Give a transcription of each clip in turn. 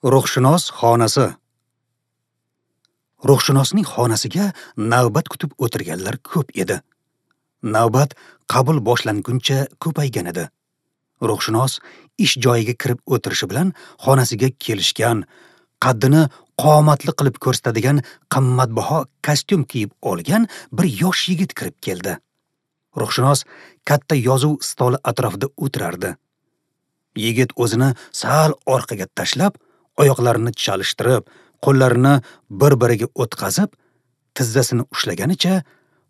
Ruhshunos xonasi. Ruhshunosning xonasiga navbat kutib o'tirganlar ko'p edi. Navbat qabul boshlanguncha ko'paygan edi. Ruhshunos ish joyiga kirib o'tirishi bilan xonasiga kelishgan, qaddini qomatli qilib ko'rsatadigan qimmatbaho kostyum kiyib olgan bir yosh yigit kirib keldi. Ruhshunos katta yozuv stoli atrofida o'tirardi. Yigit o'zini sal orqaga tashlab, oyoqlarini chalishtirib, qo'llarini bir-biriga o'tkazib, tizzasini ushlaganicha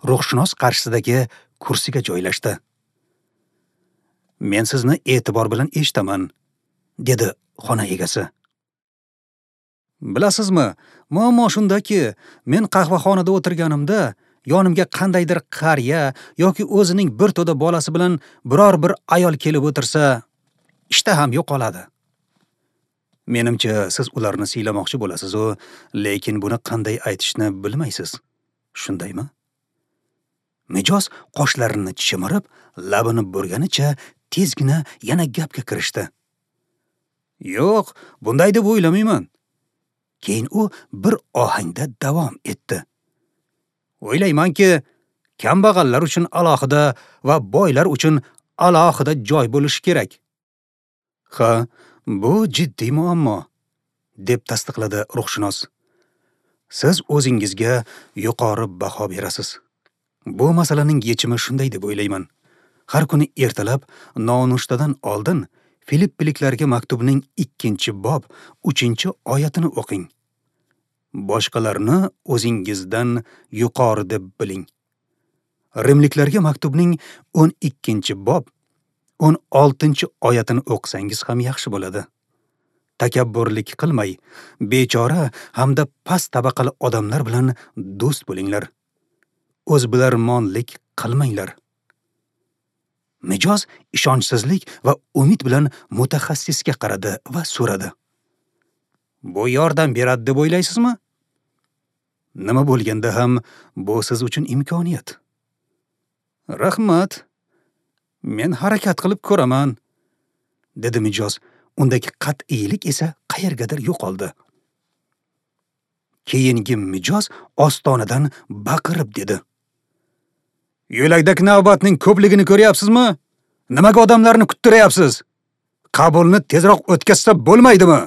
ruhshunos qarshisidagi kursiga joylashdi. "Men sizni e'tibor bilan eshitaman", dedi xona egasi. "Bilasizmi, muammo shundaki, men qahvaxonada o'tirganimda yonimga qandaydir qariya yoki o'zining bir to'da bolasi bilan biror bir ayol kelib o'tirsa, ishtaham yo'qoladi. Menimcha, siz ularni siylamoqchi bo'lasiz-u, lekin buni qanday aytishni bilmaysiz. Shundaymi?" Mijoz qoshlarini chimirib, labini burganicha tezgina yana gapga kirishdi. "Yo'q, bunday deb o'ylamayman." Keyin u bir ohangda davom etdi. "O'ylaymanki, kambag'allar uchun alohida va boylar uchun alohida joy bo'lishi kerak." "Ha, bu jiddiy muammo", deb tasdiqladi ruhshunos. "Siz o'zingizga yuqori baho berasiz. Bu masalaning yechimi shunday deb o'ylayman. Har kuni ertalab nonushtadan oldin Filippiliklarga maktubning 2-bob 3-oyatini o'qing. Boshqalarni o'zingizdan yuqori deb biling. Rimliklarga maktubning 12-bob 16-oyatini o'qisangiz ham yaxshi bo'ladi. Takabburlik qilmay, bechora hamda past tabaqali odamlar bilan do'st bo'linglar. O'zbilarmonlik qilmanglar." Mijoz ishonchsizlik va umid bilan mutaxassisga qaradi va so'radi: "Bu yordam beradi deb o'ylaysizmi?" "Nima bo'lganda ham bu siz uchun imkoniyat." "Rahmat. Men harakat qilib ko'raman", dedi mijoz. Undagi qat'iylik esa qayergadir yo'qoldi. Keyingi mijoz ostonadan baqirib dedi: "Yo'lakdagi navbatning ko'pligini ko'ryapsizmi? Nimaga odamlarni kuttiryapsiz? Qabulni tezroq o'tkazsa bo'lmaydimi?"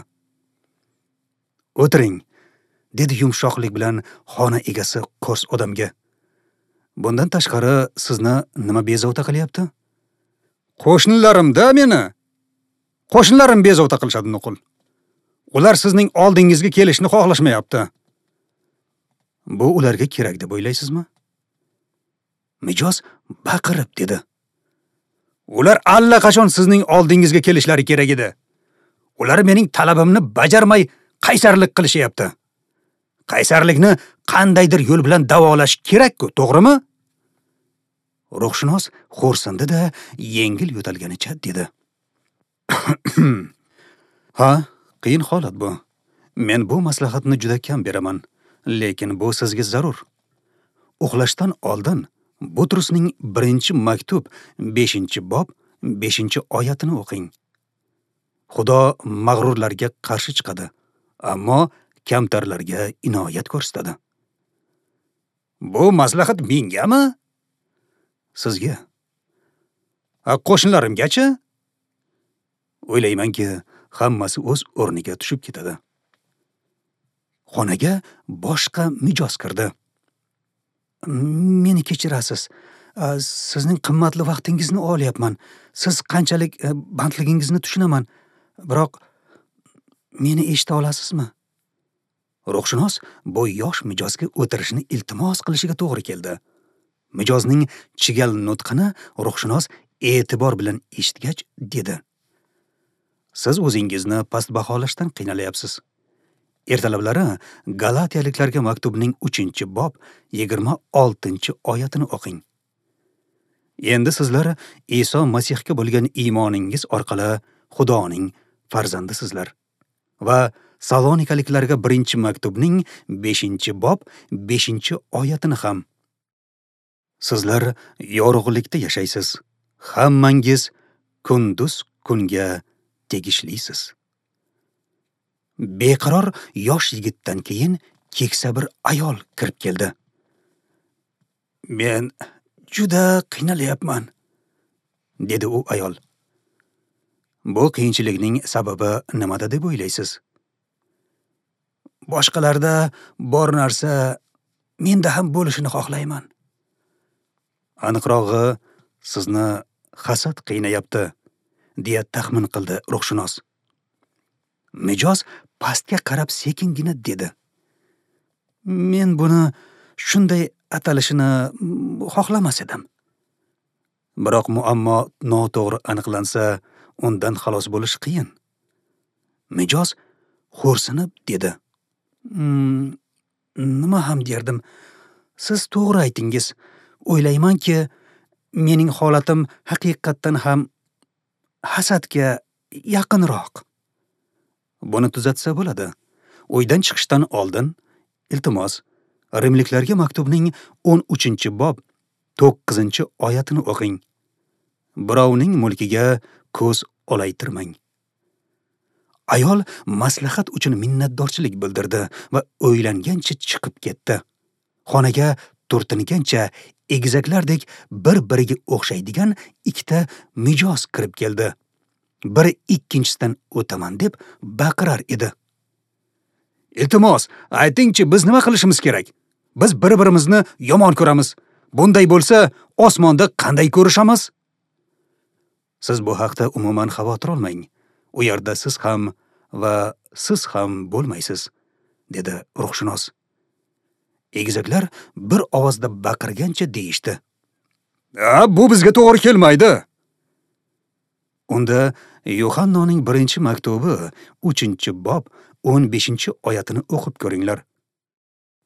"O'tiring", dedi yumshoqlik bilan xona egasi qo'rs odamga. "Bundan tashqari sizni nima bezovta qilyapti?" "Qo'shnilarim-da meni. Qo'shnilarim bezovta qilishadi nuqul. Ular sizning oldingizga kelishni xohlashmayapti." "Bu ularga kerak deb o'ylaysizmi?" Mijoz baqirib dedi: "Ular allaqachon sizning oldingizga kelishlari kerak edi. Ular mening talabimni bajarmay qaysarlik qilishyapti. Qaysarlikni qandaydir yo'l bilan davolash kerak-ku, to'g'rimi?" Ruhshunos xo'rsindi-da, yengil yo'talganicha dedi: "Ha, qiyin holat bu. Men bu maslahatni juda kam beraman, lekin bu sizga zarur. Uxlashdan oldin Butrusning 1-maktub 5-bob 5-oyatini o'qing. Xudo mag'rurlarga qarshi chiqadi, ammo kamtarlarga inoyat ko'rsatadi." "Bu maslahat mengami?" "Sizga." "A qo'shnilarimgachi?" "O'ylaymanki, hammasi o'z o'rniga tushib ketadi." Xonaga boshqa mijoz kirdi. "Meni kechirasiz. Sizning qimmatli vaqtingizni olyapman. Siz qanchalik bandligingizni tushunaman. Biroq meni eshita olasizmi?" Ruhshunos bu yosh mijozga o'tirishni iltimos qilishiga to'g'ri keldi. Mijozning chigal nutqini ruhshunos e'tibor bilan eshitgach dedi: "Siz o'zingizni past baholashdan qiynalyapsiz. Ertalablari Galatiyaliklarga maktubning 3-bob 26-oyatini o'qing. Endi sizlar Iso Masihga bo'lgan iymoningiz orqali Xudoning farzandisizlar." Va Salonikaliklarga 1-maktubning 5-bob 5-oyatini ham: "Sizlar yorug'likda yashaysiz. Hammangiz kunduz kunga tegishlisiz." Beqaror yosh yigitdan keyin keksa bir ayol kirib keldi. Men juda qiynalyapman, dedi u ayol. Bu qiyinchilikning sababi nimada deb o'ylaysiz? Boshqalarda bor narsa menda ham bo'lishini xohlayman. Aniqrog'i, sizni hasad qiynayapti, deya taxmin qildi ruhshunos. Mijoz pastga qarab sekingina dedi: Men buni shunday atalishini xohlamas edim. Biroq muammo noto'g'ri aniqlansa, undan xalos bo'lish qiyin. Mijoz xo'rsinib dedi: Nima ham derdim? Siz to'g'ri aytingiz. O'ylaymanki, mening holatim haqiqatdan ham hasadga yaqinroq. Buni tuzatsa bo'ladi. Uydan chiqishdan oldin, iltimos, Rimliklarga maktubning 13-bob 9-oyatini o'qing. Birovning mulkiga ko'z olaytirmang. Ayol maslahat uchun minnatdorchilik bildirdi va o'ylangancha chiqib ketdi. Xonaga turtingancha egizaklardek bir-biriga o'xshaydigan ikkita mijoz kirib keldi. Biri ikkinchisidan o'taman deb baqirar edi. Iltimos, aytingchi, biz nima qilishimiz kerak? Biz bir-birimizni yomon ko'ramiz. Bunday bo'lsa, osmonda qanday ko'rishamiz? Siz bu haqda umuman xavotir olmang. U yerda siz ham va siz ham bo'lmaysiz, dedi ruhshunos. Egizaklar bir ovozda baqirgancha deyishdi: "A, bu bizga to'g'ri kelmaydi." Unda Yuhannoning 1-maktubi 3-bob 15-oyatini o'qib ko'ringlar.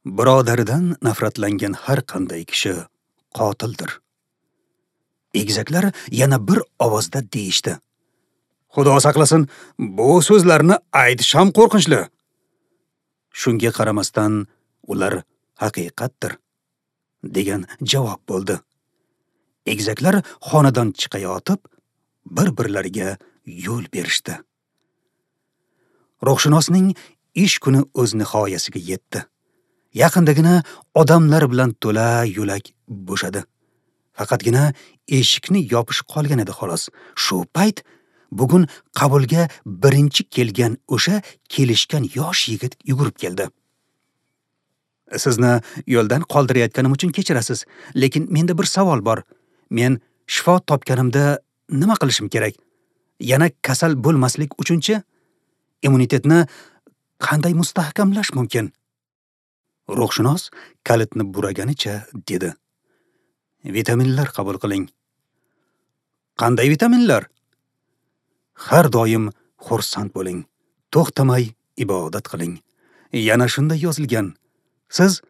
Birodaridan nafratlangan har qanday kishi qotildir. Egizaklar yana bir ovozda deyishdi: Xudo saqlasin, bu so'zlarni aytish ham qo'rqinchli. Shunga qaramasdan ular haqiqatdir, degan javob bo'ldi. Egizaklar xonadan chiqayotib, bir-birlariga yo'l berishdi. Ruhshunosning ish kuni o'z nihoyasiga yetdi. Yaqindagina odamlar bilan to'la yo'lak bo'shadi. Faqatgina eshikni yopish qolgan edi xolos. Shu payt bugun qabulga birinchi kelgan o'sha kelishgan yosh yigit yugurib keldi. Sizni yo'ldan qoldirayotganim uchun kechirasiz, lekin menda bir savol bor. Men shifo topganimda nima qilishim kerak? Yana kasal bo'lmaslik uchunchi immunitetni qanday mustahkamlash mumkin? Ruhshunos kalitni buraganicha dedi: Vitaminlar qabul qiling. Qanday vitaminlar? Har doim xursand bo'ling, to'xtamay ibodat qiling. Yana shunday yozilgan: Siz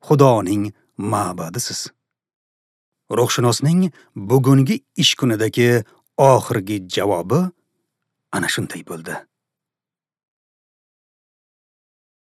Xudoning ma'badisiz. Ruhshunosning bugungi ish kunidagi oxirgi javobi ana shunday bo'ldi.